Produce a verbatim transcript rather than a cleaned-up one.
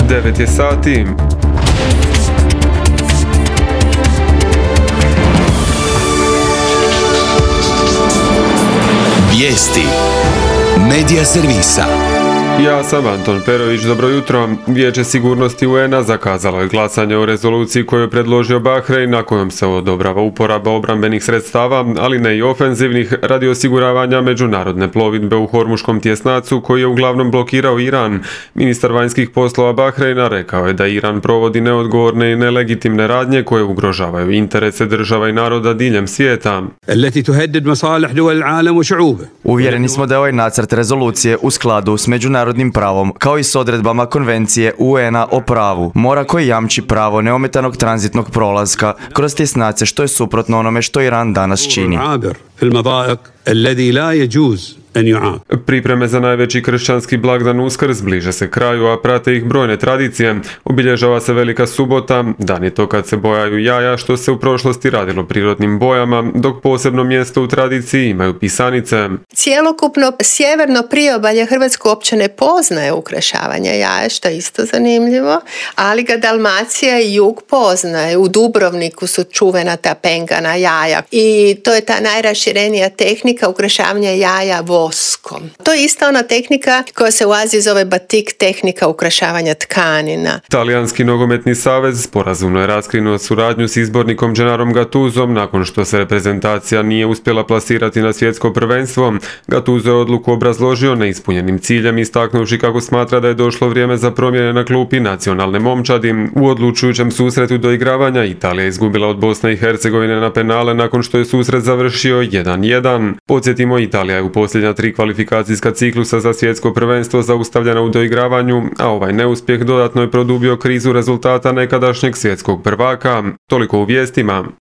devet je sati. Vijesti Medija servisa. Ja sam Anton Perović, dobro jutro. Vijeće sigurnosti U N A zakazalo je glasanje o rezoluciji koju je predložio Bahrein, na kojom se odobrava uporaba obrambenih sredstava, ali ne i ofenzivnih, radi osiguravanja međunarodne plovidbe u Hormuškom tjesnacu koji je uglavnom blokirao Iran. Ministar vanjskih poslova Bahreina rekao je da Iran provodi neodgovorne i nelegitimne radnje koje ugrožavaju interese država i naroda diljem svijeta. Uvjereni smo da je ovaj nacrt rezolucije u skladu s međunarodnim pravom, kao i s odredbama konvencije U N A o pravu mora koji jamči pravo neometanog tranzitnog prolaska kroz tjesnace, što je suprotno onome što Iran danas čini. Pripreme za najveći kršćanski blagdan Uskrs bliže se kraju, a prate ih brojne tradicije. Obilježava se Velika subota, dan je to kad se bojaju jaja, što se u prošlosti radilo prirodnim bojama, dok posebno mjesto u tradiciji imaju pisanice. Cijelokupno sjeverno priobalje Hrvatske uopće ne poznaje ukrašavanje jaja, što je isto zanimljivo, ali ga Dalmacija i jug poznaje. U Dubrovniku su čuvena ta pengana jaja i to je ta najraširenija tehnika ukrašavanja jaja voskom. To je ista ona tehnika koja se u Aziji zove batik, tehnika ukrašavanja tkanina. Talijanski nogometni savez sporazumno je raskinuo suradnju s izbornikom Gennarom Gattusom nakon što se reprezentacija nije uspjela plasirati na svjetsko prvenstvo. Gattuso je odluku obrazložio neispunjenim ciljem, istaknuvši kako smatra da je došlo vrijeme za promjene na klupi nacionalne momčadi. U odlučujućem susretu doigravanja Italija je izgubila od Bosne i Hercegovine na penale nakon što je susret završio jedan jedan. Podsjetimo, Italija je u posljednja tri kvalifikacijska ciklusa za svjetsko prvenstvo zaustavljena u doigravanju, a ovaj neuspjeh dodatno je produbio krizu rezultata nekadašnjeg svjetskog prvaka. Toliko u vijestima.